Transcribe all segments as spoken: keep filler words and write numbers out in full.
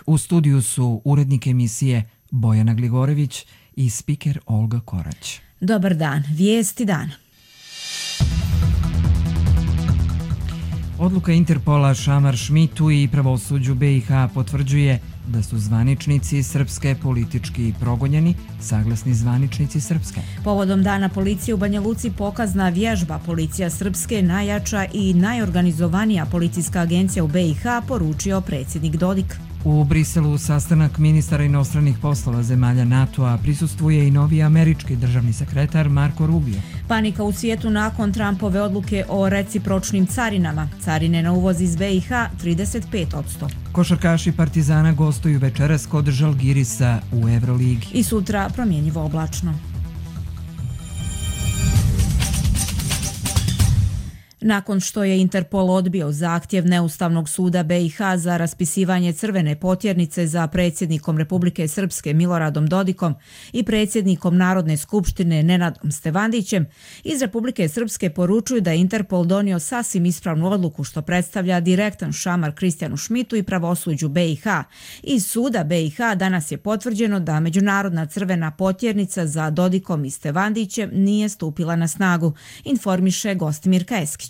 U studiju su urednik emisije Bojana Gligorević i spiker Olga Korać. Dobar dan, vijesti dana. Odluka Interpola Šamar Šmitu i pravosuđu be i ha potvrđuje da su zvaničnici Srpske politički progonjeni, saglasni zvaničnici Srpske. Povodom Dana policije u Banja Luci pokazna vježba Policija Srpske, najjača i najorganizovanija policijska agencija u be i ha, poručio predsjednik Dodik. U Briselu sastanak ministara inostranih poslova zemalja NATO-a prisustvuje i novi američki državni sekretar Marko Rubio. Panika u svijetu nakon Trumpove odluke o recipročnim carinama. Carine na uvoz iz be i ha trideset pet posto. Košarkaši Partizana gostuju večeras kod Žalgirisa u Evroligi. I sutra promjenjivo oblačno. Nakon što je Interpol odbio zahtjev Neustavnog suda be i ha za raspisivanje crvene potjernice za predsjednikom Republike Srpske Miloradom Dodikom i predsjednikom Narodne skupštine Nenadom Stevandićem, iz Republike Srpske poručuju da je Interpol donio sasvim ispravnu odluku što predstavlja direktan šamar Kristijanu Šmitu i pravosuđu be i ha. Iz suda be i ha danas je potvrđeno da Međunarodna crvena potjernica za Dodikom i Stevandićem nije stupila na snagu, informiše Gostimirka Eskić.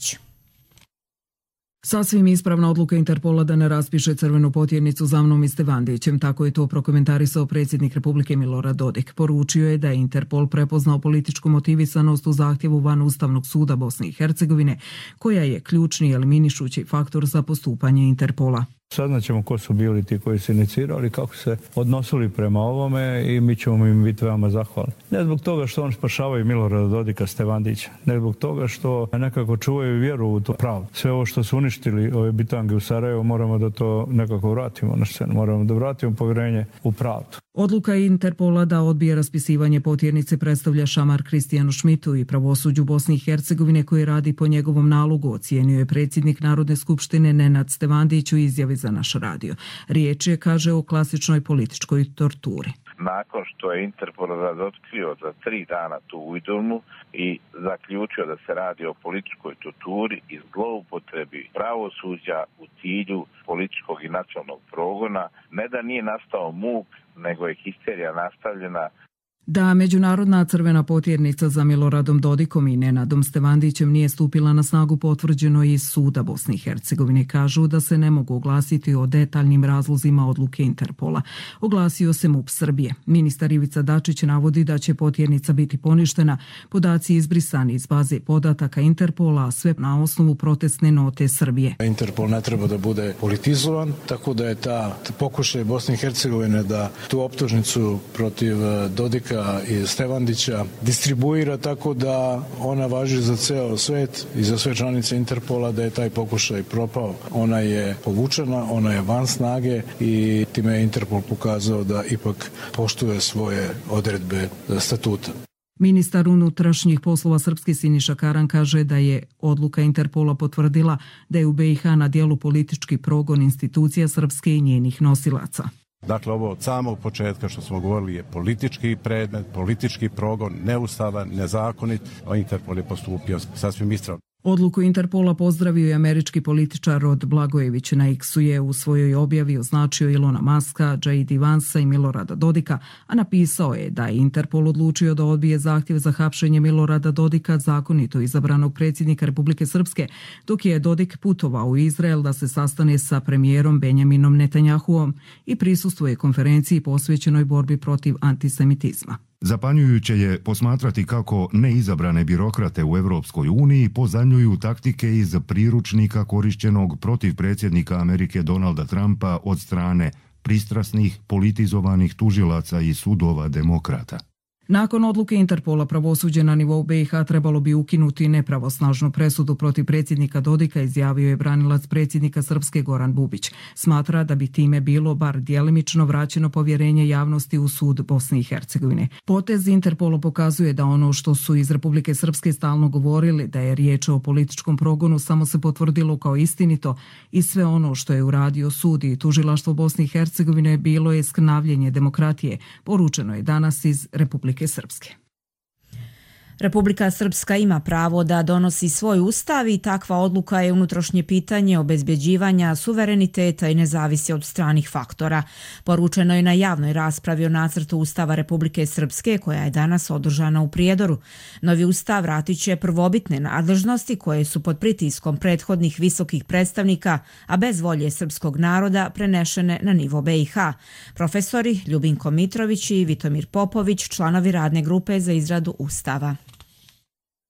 Sasvim ispravna odluka Interpola da ne raspiše crvenu potjernicu za mnom i Stevandićem, tako je to prokomentarisao predsjednik Republike Milorad Dodik. Poručio je da je Interpol prepoznao političku motivisanost u zahtjevu van Ustavnog suda Bosne i Hercegovine, koja je ključni eliminišući faktor za postupanje Interpola. Saznaćemo ko su bili ti koji su inicirali, kako se odnosili prema ovome i mi ćemo im biti veoma zahvalni. Ne zbog toga što on spašavaju Milorada Dodika, Stevandića, ne zbog toga što nekako čuvaju vjeru u to pravo. Sve ovo što su uništili ove bitange u Sarajevu, moramo da to nekako vratimo na scenu, moramo da vratimo povjerenje u pravdu. Odluka Interpola da odbije raspisivanje potjernice predstavlja šamar Kristijanu Šmitu i pravosuđu Bosne i Hercegovine koji radi po njegovom nalogu, ocijenio je predsjednik Narodne skupštine Nenad Stevandić u izjavi za naš radio. Riječ je, kaže, o klasičnoj političkoj torturi. Nakon što je Interpol razotkrio za tri dana tu ujdurnu i zaključio da se radi o političkoj torturi i zloupotrebi pravosuđa u cilju političkog i nacionalnog progona, ne da nije nastao muk, nego je histerija nastavljena. Da Međunarodna crvena potjernica za Miloradom Dodikom i Nenadom Stevandićem nije stupila na snagu potvrđeno iz suda Bosne i Hercegovine. Kažu da se ne mogu oglasiti o detaljnim razlozima odluke Interpola. Oglasio se MUP Srbije. Ministar Ivica Dačić navodi da će potjernica biti poništena, podaci izbrisani iz baze podataka Interpola, a sve na osnovu protestne note Srbije. Interpol ne treba da bude politizovan, tako da je ta pokušaj Bosne i Hercegovine da tu optužnicu protiv Dodika i Stevandića distribuira tako da ona važi za ceo svet i za sve članice Interpola, da je taj pokušaj propao. Ona je povučena, ona je van snage i time je Interpol pokazao da ipak poštuje svoje odredbe statuta. Ministar unutrašnjih poslova Srpske Siniša Karan kaže da je odluka Interpola potvrdila da je u be i ha na dijelu politički progon institucija Srpske i njenih nosilaca. Dakle, ovo od samog početka što smo govorili je politički predmet, politički progon, neustavan, nezakonit, a Interpol je postupio sasvim ispravno. Odluku Interpola pozdravio je američki političar Rod Blagojević. Na X-u je u svojoj objavi označio Ilona Maska, džej di Vansa i Milorada Dodika, a napisao je da je Interpol odlučio da odbije zahtjev za hapšenje Milorada Dodika, zakonito izabranog predsjednika Republike Srpske, dok je Dodik putovao u Izrael da se sastane sa premijerom Benjaminom Netanjahuom i prisustvuje konferenciji posvećenoj borbi protiv antisemitizma. Zapanjujuće je posmatrati kako neizabrane birokrate u Europskoj uniji pozajmljuju taktike iz priručnika korišćenog protiv predsjednika Amerike Donalda Trumpa od strane pristrasnih, politizovanih tužilaca i sudova demokrata. Nakon odluke Interpola, pravosuđe na nivou be i ha trebalo bi ukinuti nepravosnažnu presudu protiv predsjednika Dodika, izjavio je branilac predsjednika Srpske Goran Bubić. Smatra da bi time bilo bar djelimično vraćeno povjerenje javnosti u sud Bosne i Hercegovine. Potez Interpola pokazuje da ono što su iz Republike Srpske stalno govorili, da je riječ o političkom progonu, samo se potvrdilo kao istinito i sve ono što je uradio sud i tužilaštvo Bosne i Hercegovine bilo je skrnavljenje demokratije, poručeno je danas iz Republike Srpske. Republika Srpska ima pravo da donosi svoj ustav i takva odluka je unutrašnje pitanje obezbeđivanja suvereniteta i ne zavisi od stranih faktora. Poručeno je na javnoj raspravi o nacrtu Ustava Republike Srpske koja je danas održana u Prijedoru. Novi ustav vratit će prvobitne nadležnosti koje su pod pritiskom prethodnih visokih predstavnika, a bez volje srpskog naroda prenešene na nivo B i H. Profesori Ljubinko Mitrović i Vitomir Popović, članovi radne grupe za izradu ustava.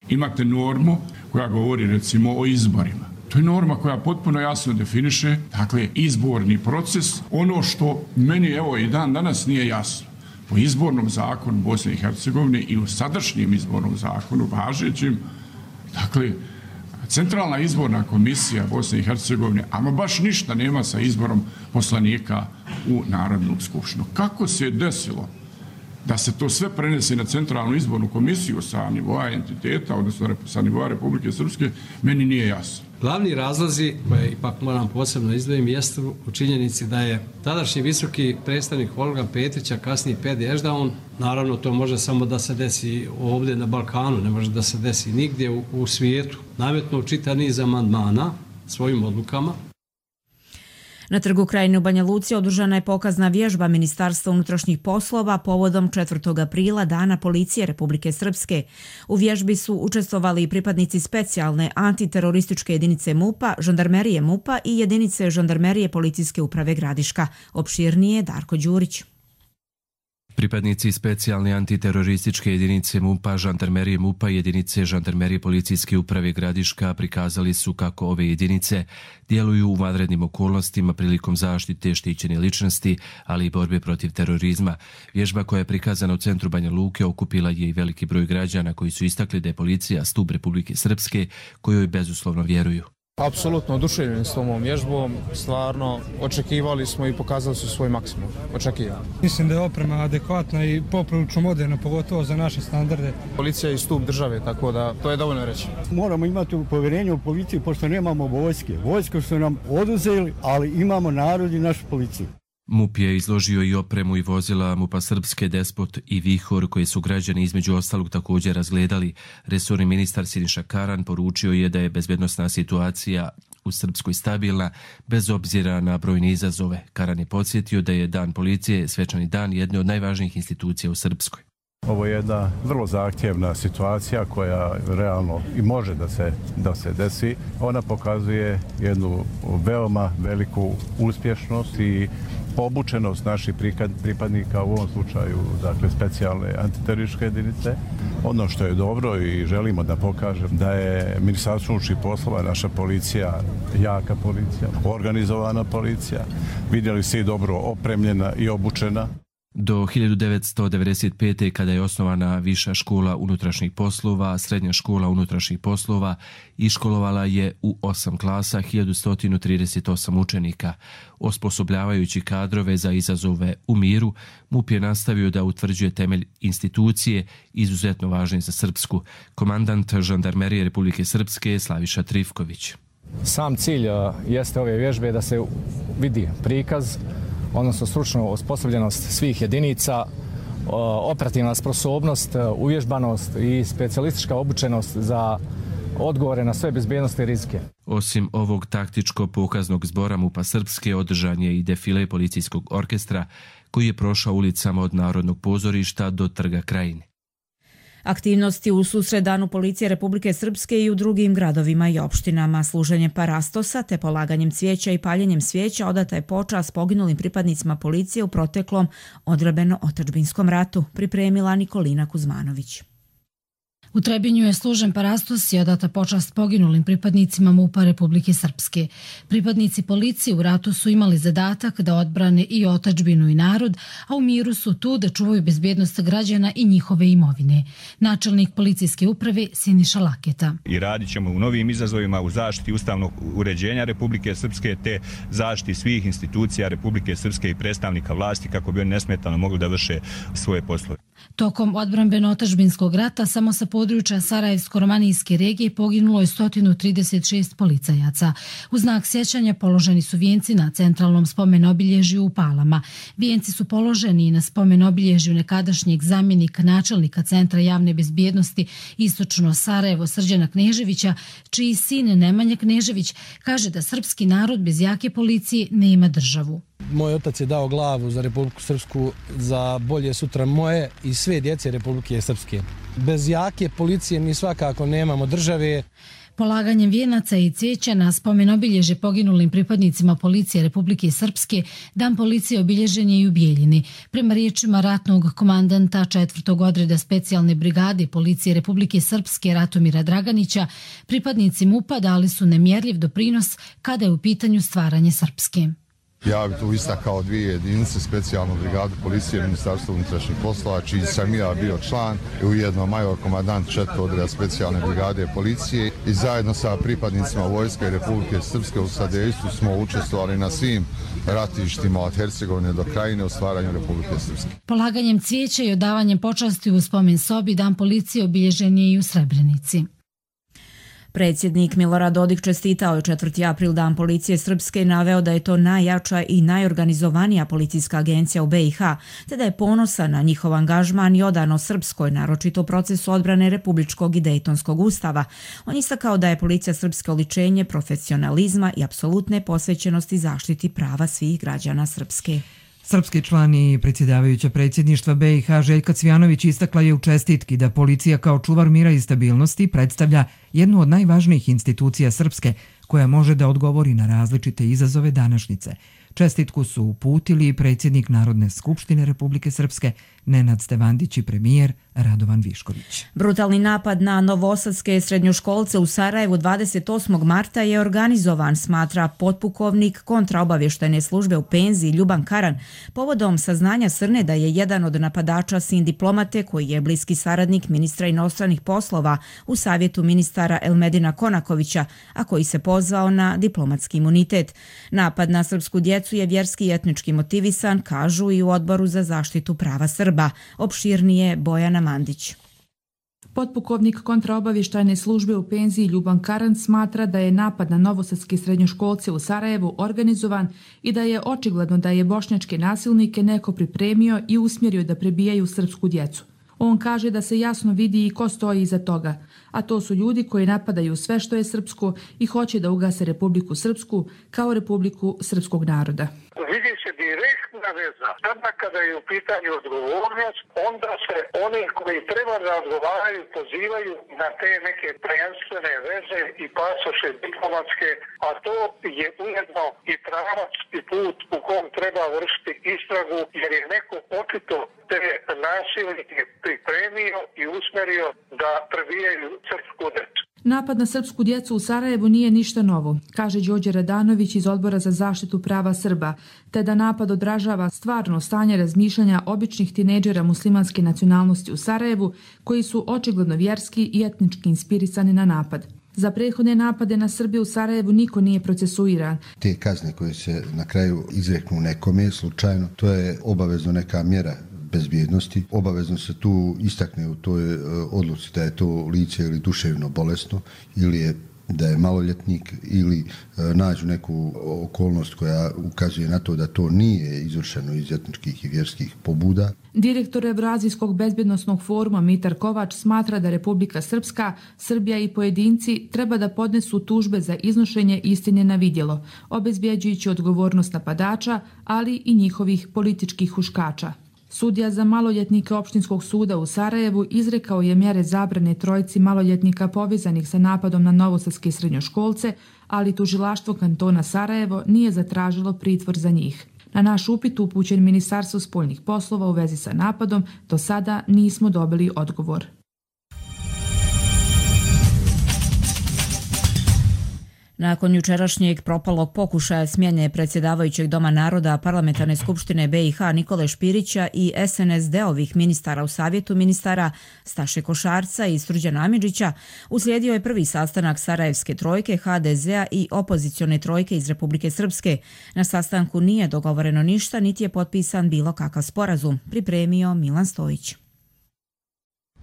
Imate normu koja govori recimo o izborima. To je norma koja potpuno jasno definiše, dakle, izborni proces. Ono što meni evo i dan danas nije jasno. Po izbornom zakonu Bosne i Hercegovine i u sadašnjem izbornom zakonu važećim, dakle, Centralna izborna komisija Bosne i Hercegovine, ama baš ništa nema sa izborom poslanika u Narodnu skupštinu. Kako se je desilo da se to sve prenese na Centralnu izbornu komisiju sa nivoa entiteta, odnosno sa nivoa Republike Srpske, meni nije jasno. Glavni razlozi, koje ipak moram posebno izdvojiti, jeste u činjenici da je tadašnji visoki predstavnik Olga Petrića, kasnije Pedi Ešdaun, naravno to može samo da se desi ovdje na Balkanu, ne može da se desi nigdje u, u svijetu, nametnuo čitav niz amandmana svojim odlukama. Na Trgu Krajine u Banja Luci održana je pokazna vježba Ministarstva unutrašnjih poslova povodom četvrtog aprila Dana policije Republike Srpske. U vježbi su učestvovali i pripadnici specijalne antiterorističke jedinice MUP-a, žandarmerije MUP-a i jedinice žandarmerije Policijske uprave Gradiška. Opširnije Darko Đurić. Pripadnici specijalne antiterorističke jedinice MUP-a, žandarmerije MUP-a i jedinice žandarmerije Policijske uprave Gradiška prikazali su kako ove jedinice djeluju u vanrednim okolnostima prilikom zaštite štićene ličnosti, ali i borbe protiv terorizma. Vježba koja je prikazana u centru Banja Luke okupila je i veliki broj građana koji su istakli da je policija stup Republike Srpske kojoj bezuslovno vjeruju. Apsolutno oduševljeni s ovom vježbom, stvarno očekivali smo i pokazali su svoj maksimum, očekivali. Mislim da je oprema adekvatna i poprilično moderna, pogotovo za naše standarde. Policija je stup države, tako da to je dovoljno reći. Moramo imati povjerenje u policiju, pošto nemamo vojske. Vojske su nam oduzeli, ali imamo narod i našu policiju. MUP je izložio i opremu i vozila MUP-a Srpske, Despot i Vihor, koje su građani između ostalog također razgledali. Resorni ministar Siniša Karan poručio je da je bezbednosna situacija u Srpskoj stabilna, bez obzira na brojne izazove. Karan je podsjetio da je Dan policije svečani dan jedne od najvažnijih institucija u Srpskoj. Ovo je jedna vrlo zahtjevna situacija koja realno i može da se, da se desi. Ona pokazuje jednu veoma veliku uspješnost i obučenost naših pripadnika, u ovom slučaju dakle specijalne antiterorističke jedinice. Ono što je dobro i želimo da pokažem da je Ministarstvo unutrašnjih poslova, naša policija, jaka policija, organizovana policija, vidjeli se i dobro opremljena i obučena. Do hiljadu devetsto devedeset pete. kada je osnovana Viša škola unutrašnjih poslova, Srednja škola unutrašnjih poslova iškolovala je u osam klasa hiljadu sto trideset osam učenika. Osposobljavajući kadrove za izazove u miru, MUP je nastavio da utvrđuje temelj institucije izuzetno važne za Srpsku. Komandant žandarmerije Republike Srpske Slaviša Trifković. Sam cilj jeste ove vježbe da se vidi prikaz, odnosno stručna osposobljenost svih jedinica, operativna sposobnost, uvježbanost i specijalistička obučenost za odgovore na sve bezbjednostne rizike. Osim ovog taktičko-pokaznog zbora MUP-a Srpske održan je i defile policijskog orkestra koji je prošao ulicama od Narodnog pozorišta do Trga Krajine. Aktivnosti u susret Danu policije Republike Srpske i u drugim gradovima i opštinama, služenje parastosa te polaganjem cvijeća i paljenjem svijeća odata je počast poginulim pripadnicima policije u proteklom odbrambeno-otadžbinskom ratu, pripremila Nikolina Kuzmanović. U Trebinju je služen parastos i odata počast poginulim pripadnicima MUP-a Republike Srpske. Pripadnici policije u ratu su imali zadatak da odbrane i otadžbinu i narod, a u miru su tu da čuvaju bezbjednost građana i njihove imovine. Načelnik policijske uprave Siniša Laketa. I radit ćemo u novim izazovima u zaštiti ustavnog uređenja Republike Srpske te zaštiti svih institucija Republike Srpske i predstavnika vlasti kako bi oni nesmetano mogli da vrše svoje poslove. Tokom odbrambeno-otadžbinskog rata samo sa područja Sarajevsko-romanijske regije poginulo je sto trideset šest policajaca. U znak sjećanja položeni su vijenci na centralnom spomen-obilježju u Palama. Vijenci su položeni i na spomen-obilježju nekadašnjeg zamjenika načelnika Centra javne bezbjednosti Istočno Sarajevo Srđana Kneževića, čiji sin Nemanja Knežević kaže da srpski narod bez jake policije nema državu. Moj otac je dao glavu za Republiku Srpsku, za bolje sutra moje i sve djece Republike Srpske. Bez jake policije mi svakako nemamo države. Polaganjem vijenaca i cvijeća na spomen obilježje poginulim pripadnicima policije Republike Srpske, Dan policije obilježen je i u Bijeljini. Prema riječima ratnog komandanta četvrtog odreda specijalne brigade policije Republike Srpske Ratomira Draganića, pripadnici MUP-a dali su nemjerljiv doprinos kada je u pitanju stvaranje Srpske. Ja bih tu istakao dvije jedinice, specijalnu brigadu policije Ministarstva unutrašnjih poslova, čiji sam ja bio član, i ujedno major komandant četvrtog odreda specijalne brigade policije, i zajedno sa pripadnicima vojske Republike Srpske u sadejstvu smo učestvovali na svim ratištima od Hercegovine do Krajine u stvaranju Republike Srpske. Polaganjem cvijeća i odavanjem počasti u spomen sobi Dan policije obilježen je i u Srebrenici. Predsjednik Milorad Dodik čestitao je četvrti april Dan policije Srpske i naveo da je to najjača i najorganizovanija policijska agencija u B i H, te da je ponosan na njihov angažman i odano Srpskoj, naročito u procesu odbrane Republičkog i Dejtonskog ustava. On istakao da je policija Srpske oličenje profesionalizma i apsolutne posvećenosti zaštiti prava svih građana Srpske. Srpski član i predsjedavajuća predsjedništva B i H Željka Cvijanović istakla je u čestitki da policija kao čuvar mira i stabilnosti predstavlja jednu od najvažnijih institucija Srpske koja može da odgovori na različite izazove današnjice. Čestitku su uputili predsjednik Narodne skupštine Republike Srpske Nenad Stevandić i premijer Radovan Višković. Brutalni napad na novosadske srednjoškolce u Sarajevu dvadeset osmog marta je organizovan, smatra potpukovnik kontraobavještajne službe u penziji Ljuban Karan, povodom saznanja Srne da je jedan od napadača sin diplomate koji je bliski saradnik ministra inostranih poslova u savjetu ministara Elmedina Konakovića, a koji se pozvao na diplomatski imunitet. Napad na srpsku djecu je vjerski i etnički motivisan, kažu i u Odboru za zaštitu prava Srba. Opširnije Bojana Mandić. Potpukovnik kontraobavještajne službe u penziji Ljuban Karan smatra da je napad na novosadske srednjoškolce u Sarajevu organizovan i da je očigledno da je bošnjačke nasilnike neko pripremio i usmjerio da prebijaju srpsku djecu. On kaže da se jasno vidi i ko stoji iza toga, a to su ljudi koji napadaju sve što je srpsko i hoće da ugase Republiku Srpsku kao Republiku srpskog naroda. Vidi se direktna veza. Sada kada je u pitanju odgovornost, onda se oni koji treba da odgovaraju pozivaju na te neke prvenstvene veze i pasoše diplomatske, a to je ujedno i pravac i put u kom treba vršiti istragu, jer je neko očito te nasilnike pripremio i usmerio da prebijaju srpsku djecu. Napad na srpsku djecu u Sarajevu nije ništa novo, kaže Đorđe Radanović iz Odbora za zaštitu prava Srba, te da napad odražava stvarno stanje razmišljanja običnih tinejdžera muslimanske nacionalnosti u Sarajevu, koji su očigledno vjerski i etnički inspirisani na napad. Za prethodne napade na Srbiju u Sarajevu niko nije procesuiran. Te kazne koje se na kraju izreknu nekome slučajno, to je obavezno neka mjera bezbjednosti. Obavezno se tu istakne u toj odluci da je to lice ili duševno bolesno ili je da je maloljetnik ili nađu neku okolnost koja ukazuje na to da to nije izvršeno iz etničkih i vjerskih pobuda. Direktor Evrazijskog bezbjednosnog foruma Mitar Kovač smatra da Republika Srpska, Srbija i pojedinci treba da podnesu tužbe za iznošenje istine na vidjelo, obezbjeđujući odgovornost napadača, ali i njihovih političkih huškača. Sudija za maloljetnike Opštinskog suda u Sarajevu izrekao je mjere zabrane trojici maloljetnika povezanih sa napadom na novosadske srednjoškolce, ali tužilaštvo kantona Sarajevo nije zatražilo pritvor za njih. Na naš upit upućen Ministarstvu spoljnih poslova u vezi sa napadom, do sada nismo dobili odgovor. Nakon jučerašnjeg propalog pokušaja smjene predsjedavajućeg Doma naroda Parlamentarne skupštine B i H Nikole Špirića i S N S D-ovih ministara u savjetu ministara Staše Košarca i Srđana Amidžića, uslijedio je prvi sastanak Sarajevske trojke, H D Z-a i opozicione trojke iz Republike Srpske. Na sastanku nije dogovoreno ništa, niti je potpisan bilo kakav sporazum, pripremio Milan Stojić.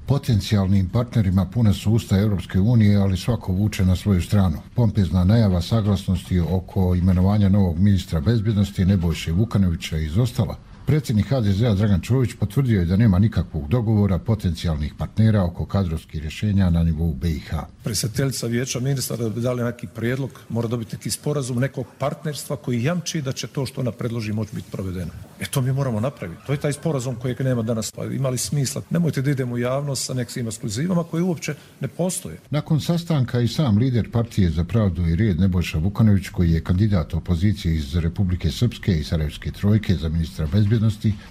Potencijalnim partnerima puna su usta Europske unije, ali svako vuče na svoju stranu. Pompezna najava saglasnosti oko imenovanja novog ministra bezbjednosti Nebojše Vukanovića izostala. Predsjednik ha de zea Dragan Čović potvrdio je da nema nikakvog dogovora potencijalnih partnera oko kadrovskih rješenja na nivou be i ha. Predsjedateljica vijeća ministara da bi dali neki prijedlog, mora dobiti neki sporazum nekog partnerstva koji jamči da će to što ona predloži moći biti provedeno. E to mi moramo napraviti. To je taj sporazum kojeg nema danas. Pa imali smisla. Nemojte da idemo u javnost sa nekim ekskluzivama koje uopće ne postoje. Nakon sastanka i sam lider partije za pravdu i red Nebojša Vukanović, koji je kandidat opozicije iz Republike Srpske i Sarajevske trojke za ministra bezbjednosti,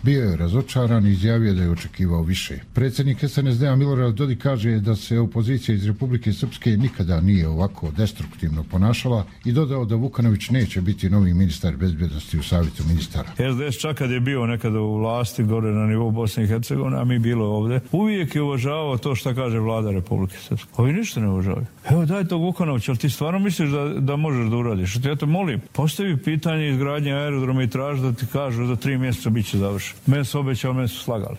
bio je razočaran i izjavio da je očekivao više. Predsjednik es en es de-a Milorad Dodik kaže da se opozicija iz Republike Srpske nikada nije ovako destruktivno ponašala i dodao da Vukanović neće biti novi ministar bezbjednosti u savjetu ministara. es de es čak kad je bio nekada u vlasti gore na nivou Bosne i Hercegovine, a mi bilo ovdje, uvijek je uvažavao to što kaže vlada Republike Srpske. Ovi ništa ne uvažavaju. Evo daj tog Vukanovića, ali ti stvarno misliš da, da možeš da uradiš? Ja te molim, postavi pitanje izgradnje aerodroma i traži da ti kažu za tri mjeseca bit će završen. Mene su obećali, mene su slagali.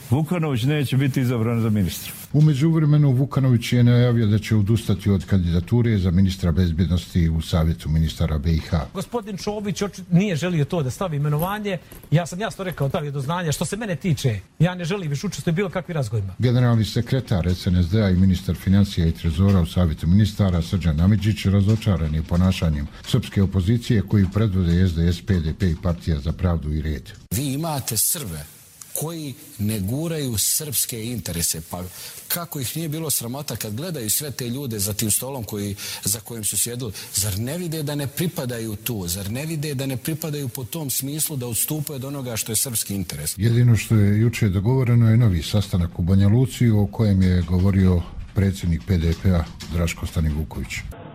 Vukanović neće biti izabran za ministra. U međuvremenu Vukanović je najavio da će odustati od kandidature za ministra bezbjednosti u savjetu ministara be i ha. Gospodin Čović nije želio to da stavi imenovanje. Ja sam jasno rekao da li je do znanja. Što se mene tiče, ja ne želim više učestvovati bilo kakvim razgovorima. Generalni sekretar es en es de-a i ministar financija i trezora u savjetu ministara Srđan Amidžić razočaran je ponašanjem srpske opozicije koju predvode es de es, pe de pe i Partija za pravdu i red. Vi imate Srbe koji ne guraju srpske interese. Pa kako ih nije bilo sramota kad gledaju sve te ljude za tim stolom koji, za kojim su sjedili? Zar ne vide da ne pripadaju tu? Zar ne vide da ne pripadaju po tom smislu da odstupaju od onoga što je srpski interes? Jedino što je juče dogovoreno je novi sastanak u Banja Luci o kojem je govorio predsjednik pe de pe-a Draško Stanivuković.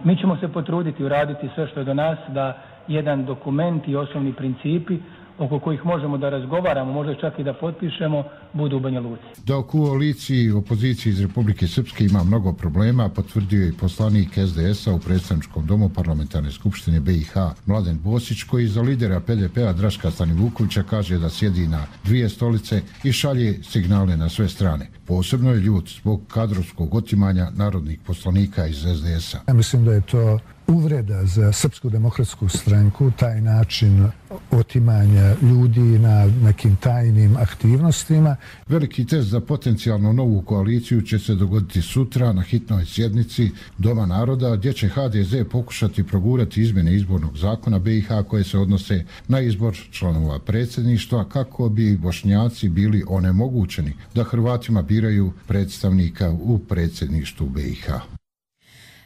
Mi ćemo se potruditi uraditi sve što je do nas da jedan dokument i osnovni principi oko kojih možemo da razgovaramo, možda čak i da potpišemo, budu u Banja Luci. Da u koaliciji opoziciji iz Republike Srpske ima mnogo problema, potvrdio je i poslanik es de es-a u predstavničkom domu parlamentarne skupštine be i ha Mladen Bosić, koji za lidera pe de pe-a Draška Stanivukovića kaže da sjedi na dvije stolice i šalje signale na sve strane. Posebno je ljut zbog kadrovskog otimanja narodnih poslanika iz es de es-a. Ja mislim da je to uvreda za Srpsku demokratsku stranku, taj način otimanja ljudi na nekim tajnim aktivnostima. Veliki test za potencijalno novu koaliciju će se dogoditi sutra na hitnoj sjednici Doma naroda, gdje će ha de ze pokušati progurati izmjene izbornog zakona be i ha koje se odnose na izbor članova predsjedništva, kako bi Bošnjaci bili onemogućeni da Hrvatima biraju predstavnika u predsjedništvu be i ha.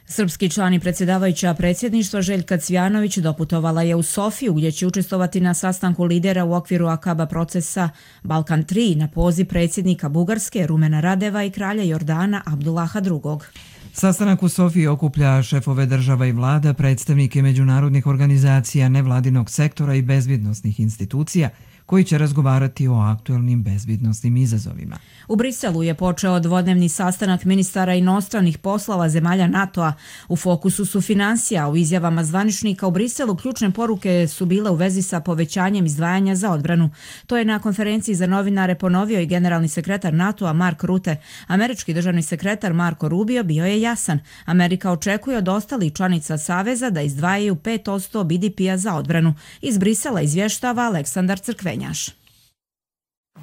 Srpski član i predsjedavajuća predsjedništva Željka Cvjanović doputovala je u Sofiju, gdje će učestvovati na sastanku lidera u okviru Akaba procesa Balkan tri na poziv predsjednika Bugarske Rumena Radeva i kralja Jordana Abdullaha drugog. Sastanak u Sofiji okuplja šefove država i vlada, predstavnike međunarodnih organizacija, nevladinog sektora i bezbjednosnih institucija, koji će razgovarati o aktuelnim bezbjednosnim izazovima. U Briselu je počeo dvodnevni sastanak ministara inostranih poslova zemalja NATO-a. U fokusu su financija. U izjavama zvaničnika u Briselu ključne poruke su bile u vezi sa povećanjem izdvajanja za odbranu. To je na konferenciji za novinare ponovio i generalni sekretar NATO-a Mark Rutte. Američki državni sekretar Marco Rubio bio je jasan. Amerika očekuje od ostalih članica Saveza da izdvajaju pet posto be de pe-a za odbranu. Iz Brisela izvještava Aleksandar Crkvenjaš.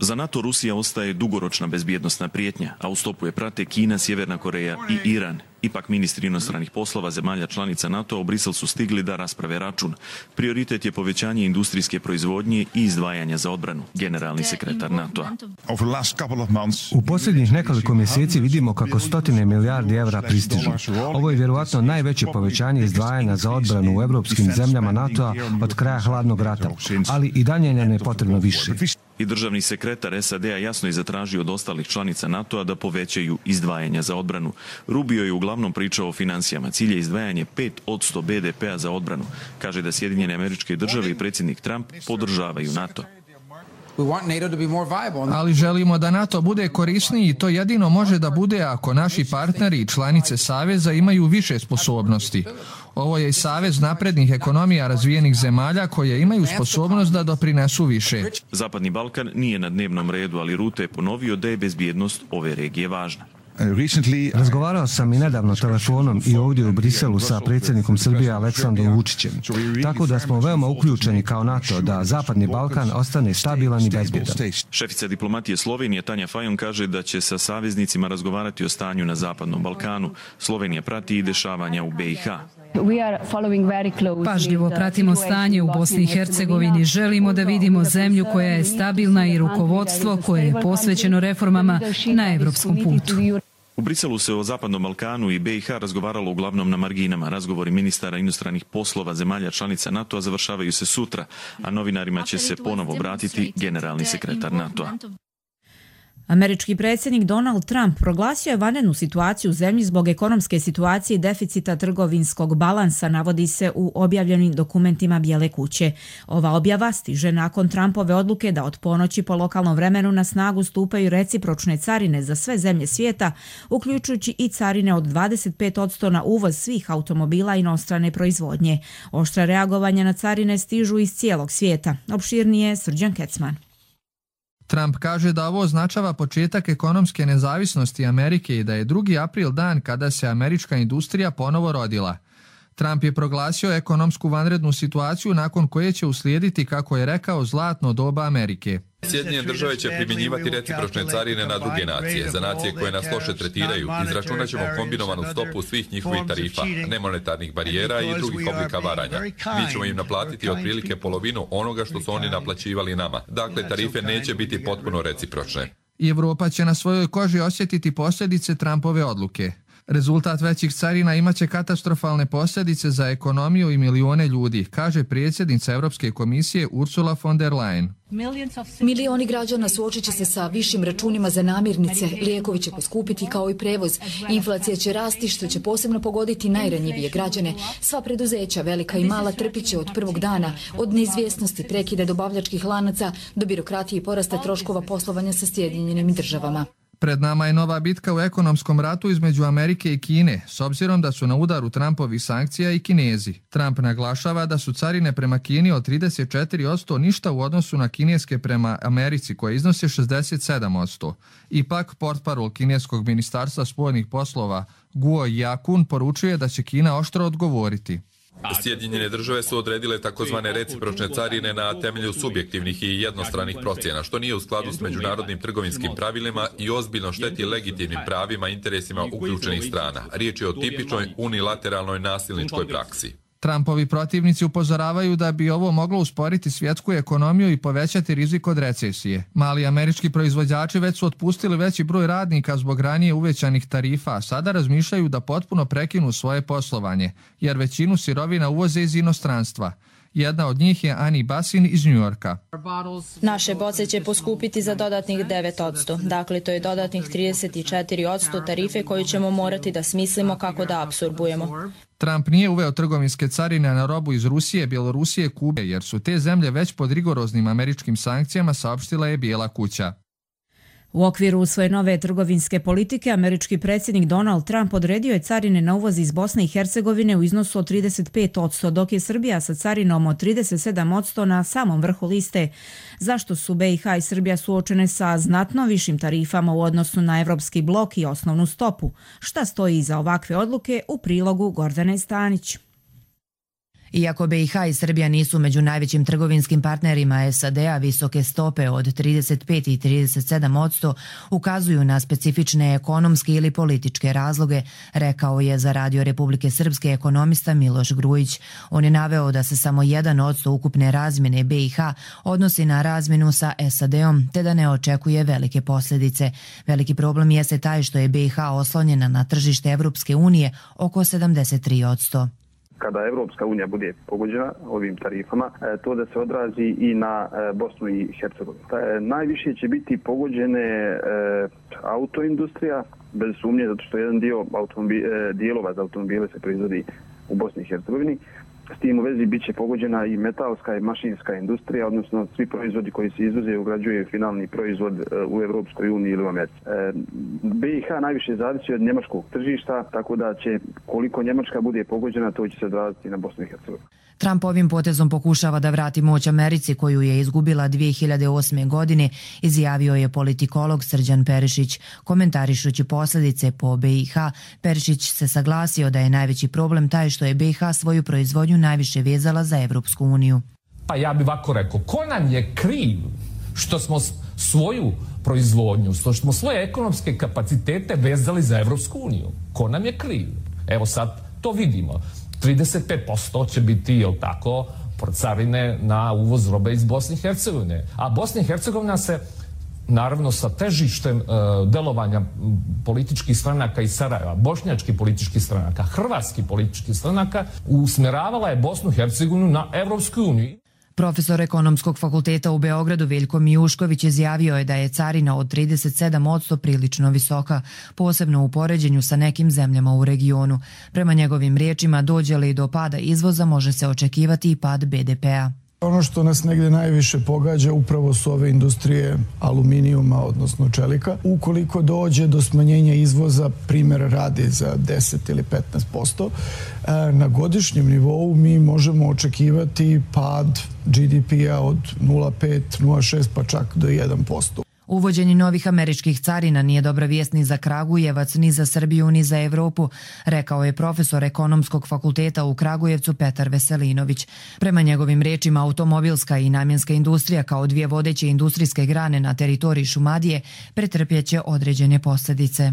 Za NATO Rusija ostaje dugoročna bezbjednostna prijetnja, a u stopu je prate Kina, Sjeverna Koreja i Iran. Ipak ministri inostranih poslova zemalja članica NATO-a u Brisel su stigli da rasprave račun. Prioritet je povećanje industrijske proizvodnje i izdvajanja za odbranu, generalni sekretar NATO-a. U posljednjih nekoliko mjeseci vidimo kako stotine milijardi evra pristižu. Ovo je vjerovatno najveće povećanje izdvajanja za odbranu u evropskim zemljama NATO-a od kraja hladnog rata, ali i dalje nam je potrebno više. I državni sekretar es a de-a jasno je zatražio od ostalih članica NATO-a da povećaju izdvajanja za odbranu. Rubio je uglavnom pričao o financijama. Cilj je izdvajanje pet posto be de pe-a za odbranu. Kaže da Sjedinjene Američke Države i predsjednik Trump podržavaju NATO. Ali želimo da NATO bude korisniji i to jedino može da bude ako naši partneri i članice Saveza imaju više sposobnosti. Ovo je i savez naprednih ekonomija razvijenih zemalja koje imaju sposobnost da doprinesu više. Zapadni Balkan nije na dnevnom redu, ali Rutte je ponovio da je bezbjednost ove regije važna. Razgovarao sam i nedavno telefonom i ovdje u Briselu sa predsjednikom Srbije Aleksandrom Vučićem. Tako da smo veoma uključeni kao NATO da Zapadni Balkan ostane stabilan i bezbjedan. Šefica diplomatije Slovenije Tanja Fajon kaže da će sa saveznicima razgovarati o stanju na Zapadnom Balkanu. Slovenija prati i dešavanja u B i H. Pažljivo pratimo stanje u Bosni i Hercegovini. Želimo da vidimo zemlju koja je stabilna i rukovodstvo koje je posvećeno reformama na evropskom putu. U Briselu se o Zapadnom Balkanu i B i H razgovaralo uglavnom na marginama. Razgovori ministara inostranih poslova zemalja članica NATO-a završavaju se sutra, a novinarima će se ponovo obratiti generalni sekretar NATO-a. Američki predsjednik Donald Trump proglasio je vanrednu situaciju u zemlji zbog ekonomske situacije i deficita trgovinskog balansa, navodi se u objavljenim dokumentima Bijele kuće. Ova objava stiže nakon Trumpove odluke da od ponoći po lokalnom vremenu na snagu stupaju recipročne carine za sve zemlje svijeta, uključujući i carine od dvadeset pet posto na uvoz svih automobila inostrane proizvodnje. Oštra reagovanja na carine stižu iz cijelog svijeta. Opširnije Srđan Kecman. Trump kaže da ovo označava početak ekonomske nezavisnosti Amerike i da je drugi april dan kada se američka industrija ponovo rodila. Trump je proglasio ekonomsku vanrednu situaciju nakon koje će uslijediti, kako je rekao, zlatno doba Amerike. Sjedinjene države će primjenjivati recipročne carine na druge nacije. Za nacije koje nas loše tretiraju, izračunat ćemo kombinovanu stopu svih njihovih tarifa, nemonetarnih barijera i drugih oblika varanja. Mi ćemo im naplatiti otprilike polovinu onoga što su oni naplaćivali nama. Dakle, tarife neće biti potpuno recipročne. I Evropa će na svojoj koži osjetiti posljedice Trumpove odluke. Rezultat većih carina imaće katastrofalne posljedice za ekonomiju i milione ljudi, kaže predsjednica Europske komisije Ursula von der Leyen. Milioni građana suočit će se sa višim računima za namirnice, lijekovi će poskupiti kao i prevoz, inflacija će rasti što će posebno pogoditi najranjivije građane. Sva preduzeća, velika i mala, trpit će od prvog dana, od neizvjesnosti prekida dobavljačkih lanaca do birokratije i porasta troškova poslovanja sa Sjedinjenim državama. Pred nama je nova bitka u ekonomskom ratu između Amerike i Kine, s obzirom da su na udaru Trumpovih sankcija i Kinezi. Trump naglašava da su carine prema Kini od trideset četiri posto ništa u odnosu na kineske prema Americi, koje iznose šezdeset sedam posto. Ipak, portparol kineskog ministarstva spoljnih poslova Guo Yakun poručuje da će Kina oštro odgovoriti. Sjedinjene države su odredile takozvane recipročne carine na temelju subjektivnih i jednostranih procjena, što nije u skladu s međunarodnim trgovinskim pravilima i ozbiljno šteti legitimnim pravima i interesima uključenih strana. Riječ je o tipičnoj unilateralnoj nasilničkoj praksi. Trumpovi protivnici upozoravaju da bi ovo moglo usporiti svjetsku ekonomiju i povećati rizik od recesije. Mali američki proizvođači već su otpustili veći broj radnika zbog ranije uvećanih tarifa, a sada razmišljaju da potpuno prekinu svoje poslovanje, jer većinu sirovina uvoze iz inostranstva. Jedna od njih je Ani Basin iz New Yorka. Naše boce će poskupiti za dodatnih devet posto. Dakle, to je dodatnih trideset četiri posto tarife koju ćemo morati da smislimo kako da apsorbujemo. Trump nije uveo trgovinske carine na robu iz Rusije, Bjelorusije, Kube, jer su te zemlje već pod rigoroznim američkim sankcijama, saopštila je Bijela kuća. U okviru svoje nove trgovinske politike, američki predsjednik Donald Trump odredio je carine na uvoz iz Bosne i Hercegovine u iznosu od trideset pet posto, dok je Srbija sa carinom od trideset sedam posto na samom vrhu liste. Zašto su B i H i Srbija suočene sa znatno višim tarifama u odnosu na evropski blok i osnovnu stopu? Šta stoji iza ovakve odluke, u prilogu Gordane Stanić. Iako B i H i Srbija nisu među najvećim trgovinskim partnerima S A D-a, visoke stope od trideset pet i trideset sedam posto ukazuju na specifične ekonomske ili političke razloge, rekao je za Radio Republike Srpske ekonomista Miloš Grujić. On je naveo da se samo jedan posto ukupne razmjene B i H odnosi na razmjenu sa S A D-om, te da ne očekuje velike posljedice. Veliki problem jeste taj što je B i H oslonjena na tržište Evropske unije oko sedamdeset tri posto. Kada Evropska unija bude pogođena ovim tarifama, to da se odrazi i na Bosnu i Hercegovinu. Najviše će biti pogođene autoindustrija, bez sumnje, zato što jedan dio dijelova za automobile se proizvodi u Bosni i Hercegovini. S tim u vezi bit će pogođena i metalska i mašinska industrija, odnosno svi proizvodi koji se izvoze i ugrađuje finalni proizvod u Evropskoj uniji ili u Americi. B i H najviše zavisi od njemačkog tržišta, tako da će koliko Njemačka bude pogođena, to će se odraziti na Bosnu i Hercegovinu. Trump ovim potezom pokušava da vrati moć Americi koju je izgubila dvije hiljade osme. godine, izjavio je politikolog Srđan Perišić. Komentarišući posljedice po B i H, Perišić se saglasio da je najveći problem taj što je B i H svoju proizvodnju najviše vezala za Evropsku uniju. Pa ja bih ovako rekao, ko nam je kriv što smo svoju proizvodnju, što smo svoje ekonomske kapacitete vezali za Evropsku uniju? Ko nam je kriv? Evo sad to vidimo. trideset pet posto će biti, jel tako, carine na uvoz robe iz Bosne i Hercegovine. A Bosna i Hercegovina se, naravno, sa težištem uh, delovanja političkih stranaka iz Sarajeva, bošnjačkih političkih stranaka, hrvatskih političkih stranaka, usmjeravala je Bosnu i Hercegovinu na Evropsku uniju. Profesor Ekonomskog fakulteta u Beogradu Veljko Mijušković izjavio je da je carina od trideset sedam posto prilično visoka, posebno u poređenju sa nekim zemljama u regionu. Prema njegovim riječima, dođe li do pada izvoza, može se očekivati i pad B D P-a. Ono što nas negdje najviše pogađa upravo su ove industrije aluminijuma, odnosno čelika. Ukoliko dođe do smanjenja izvoza, primjer radi za deset ili petnaest posto, na godišnjem nivou mi možemo očekivati pad G D P-a od nula zarez pet, nula zarez šest pa čak do jedan posto. Uvođenje novih američkih carina nije dobra vijest ni za Kragujevac, ni za Srbiju, ni za Evropu, rekao je profesor Ekonomskog fakulteta u Kragujevcu Petar Veselinović. Prema njegovim riječima, automobilska i namjenska industrija kao dvije vodeće industrijske grane na teritoriji Šumadije pretrpjeće određene posljedice.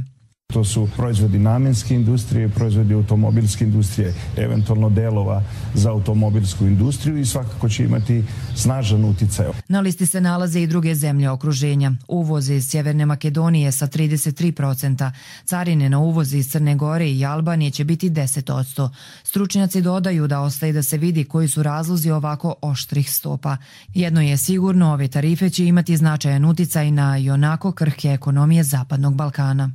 To su proizvodi namjenske industrije, proizvodi automobilske industrije, eventualno delova za automobilsku industriju i svakako će imati snažan uticaj. Na listi se nalaze i druge zemlje okruženja. Uvoz iz Sjeverne Makedonije sa trideset tri posto, carine na uvoz iz Crne Gore i Albanije će biti deset posto. Stručnjaci dodaju da ostaje da se vidi koji su razlozi ovako oštrih stopa. Jedno je sigurno, ove tarife će imati značajan uticaj na ionako krhke ekonomije Zapadnog Balkana.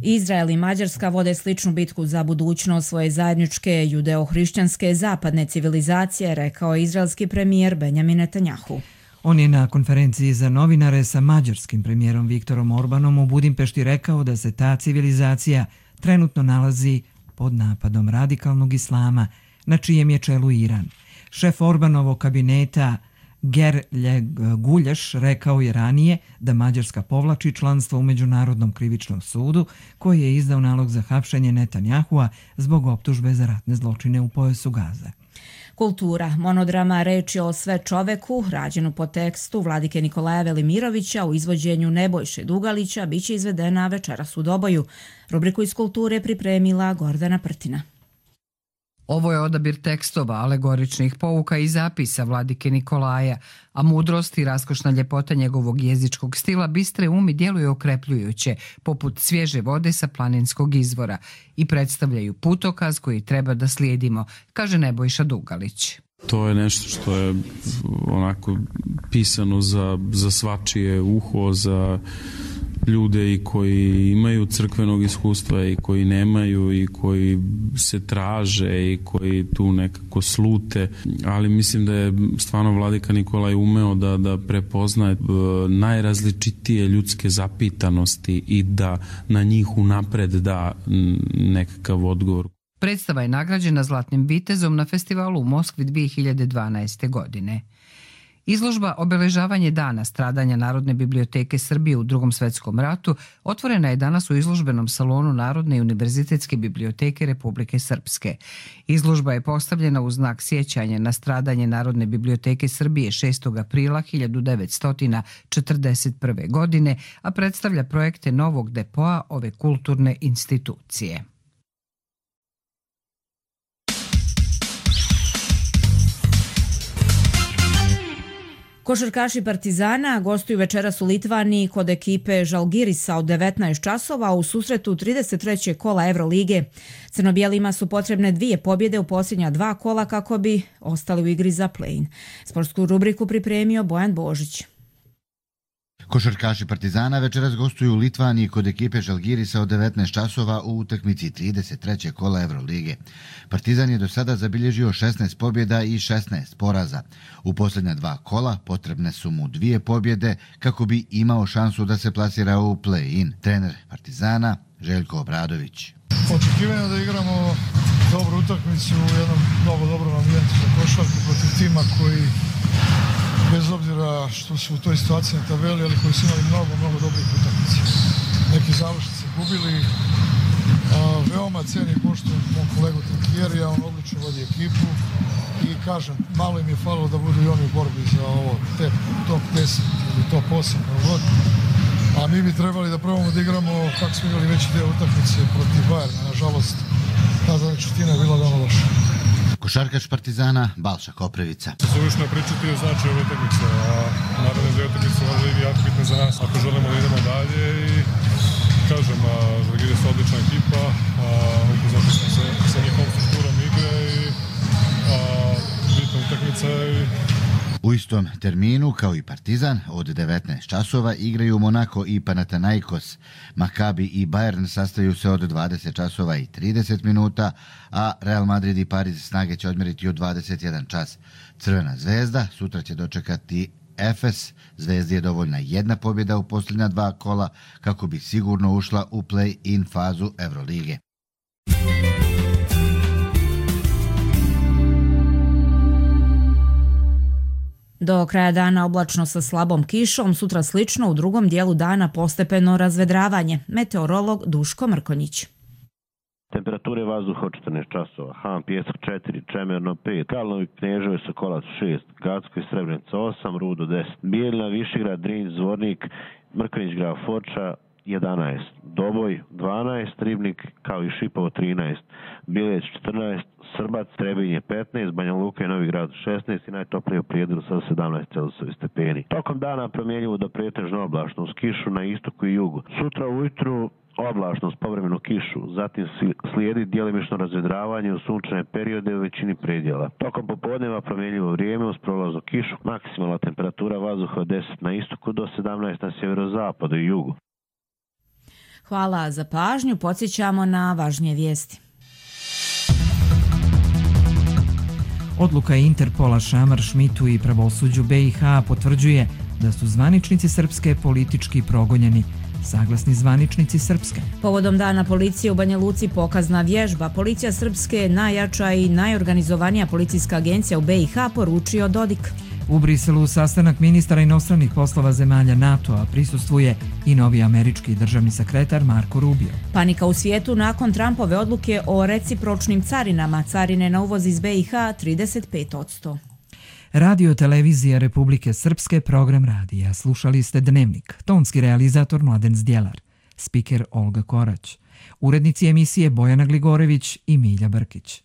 Izrael i Mađarska vode sličnu bitku za budućnost svoje zajedničke judeo-hrišćanske zapadne civilizacije, rekao izraelski premijer Benjamin Netanjahu. On je na konferenciji za novinare sa mađarskim premijerom Viktorom Orbanom u Budimpešti rekao da se ta civilizacija trenutno nalazi pod napadom radikalnog islama, na čijem je čelu Iran. Šef Orbanovog kabineta Gerljeg Gulješ rekao je ranije da Mađarska povlači članstvo u Međunarodnom krivičnom sudu koji je izdao nalog za hapšenje Netanjahua zbog optužbe za ratne zločine u pojasu Gaze. Kultura. Monodrama Reč je o sve čoveku, rađenu po tekstu Vladike Nikolaja Velimirovića u izvođenju Nebojše Dugalića, bit će izvedena večeras u Doboju. Rubriku iz kulture pripremila Gordana Prtina. Ovo je odabir tekstova, alegoričnih pouka i zapisa Vladike Nikolaja, a mudrost i raskošna ljepota njegovog jezičkog stila bistre umi djeluje okrepljujuće, poput svježe vode sa planinskog izvora, i predstavljaju putokaz koji treba da slijedimo, kaže Nebojša Dugalić. To je nešto što je onako pisano za, za svačije uho, za ljude i koji imaju crkvenog iskustva i koji nemaju i koji se traže i koji tu nekako slute, ali mislim da je stvarno Vladika Nikolaj umeo da, da prepoznaje najrazličitije ljudske zapitanosti i da na njih unapred da nekakav odgovor. Predstava je nagrađena Zlatnim vitezom na festivalu u Moskvi dvije hiljade dvanaeste. godine. Izložba Obeležavanje dana stradanja Narodne biblioteke Srbije u Drugom svjetskom ratu otvorena je danas u izložbenom salonu Narodne i univerzitetske biblioteke Republike Srpske. Izložba je postavljena u znak sjećanja na stradanje Narodne biblioteke Srbije šestog aprila hiljadu devetsto četrdeset prve. godine, a predstavlja projekte novog depoa ove kulturne institucije. Košarkaši Partizana gostuju večeras u Litvaniji kod ekipe Žalgirisa od devetnaest časova u susretu trideset trećeg kola Evrolige. Crnobijelima su potrebne dvije pobjede u posljednja dva kola kako bi ostali u igri za play-in. Sportsku rubriku pripremio Bojan Božić. Košarkaši Partizana večeras gostuju u Litvaniji kod ekipe Žalgirisa od devetnaest časova u utakmici trideset trećeg kola Evrolige. Partizan je do sada zabilježio šesnaest pobjeda i šesnaest poraza. U posljednja dva kola potrebne su mu dvije pobjede kako bi imao šansu da se plasira u play-in. Trener Partizana Željko Obradović. Očekivanje da igramo dobru utakmicu u jednom mnogo dobrom ambijentu za košarku protiv tima koji, bez obzira što su u toj situaciji na tabeli, ali koji su imali mnogo, mnogo dobrih utakmica. Neki završnici gubili, a, veoma ceni poštujem mom kolegu Trinkjerija, on odlično vodi ekipu i kažem, malo im je falilo da budu i oni u borbi za ovo te, top deset ili top osam, god. A mi bi trebali da probamo da igramo kako smo igrali veći deo utakmice protiv Bayerna. Nažalost, ta zadnja četvrtina je bila veoma loša. Košarkaš Partizana Balša Koprivica. Suvišno je pričati o značaju ove utakmice, a naravno da je utakmica možda i jako bitna za nas ako želimo da idemo dalje i kažem, Žalgiris je odlična ekipa, upoznati smo se sa njihovom strukturom igre i a, bitna utakmica i u istom terminu kao i Partizan od devetnaest časova igraju Monako i Panathinaikos. Maccabi i Bayern sastaju se od dvadeset časova i trideset minuta, a Real Madrid i Pariz snage će odmjeriti u dvadeset jedan čas. Crvena zvezda sutra će dočekati Efes. Zvezdi je dovoljna jedna pobjeda u posljednja dva kola kako bi sigurno ušla u play-in fazu Evrolige. Do kraja dana oblačno sa slabom kišom, sutra slično, u drugom dijelu dana postepeno razvedravanje. Meteorolog Duško Mrkonjić. Temperature vazduha od četrnaest časova, Han Pjesak četiri, Čemerno pet, Kalnovi Kneževo Sokolac šest, Gacko i Srebrenica osam, Rudo deset, Bijeljina, Višegrad, Drinj, Zvornik, Mrkonjić, Grad Foča jedanaest, Doboj dvanaest, Ribnik kao i Šipovo trinaest, Bileć četrnaest, Srbac, Trebinje petnaest, Banja Luka i Novi Grad šesnaest i najtoplije u Prijedoru sa sedamnaest Celzijusovih stepeni. Tokom dana promjenjivo do pretežno oblačno uz kišu na istoku i jugu. Sutra ujutru oblačno s povremenu kišu, zatim slijedi djelimično razvedravanje u sunčane periode u većini predjela. Tokom popodneva promjenjivo vrijeme uz prolaznu kišu, maksimalna temperatura vazduha od deset na istoku do sedamnaest na sjeverozapadu i jugu. Hvala za pažnju, podsjećamo na važnije vijesti. Odluka Interpola Šamar Šmitu i pravosuđu B i H potvrđuje da su zvaničnici Srpske politički progonjeni. Saglasni zvaničnici Srpske. Povodom dana policije u Banja Luci pokazna vježba. Policija Srpske je najjača i najorganizovanija policijska agencija u B i H, poručio Dodik. U Briselu sastanak ministara inostranih poslova zemalja NATO-a prisustvuje i novi američki državni sekretar Marko Rubio. Panika u svijetu nakon Trumpove odluke o recipročnim carinama. Carine na uvoz iz B i H trideset pet posto. Radio Televizija Republike Srpske, program radija. Slušali ste Dnevnik. Tonski realizator Mladen Zdjelar. Spiker Olga Korać. Urednici emisije Bojana Gligorević i Milja Brkić.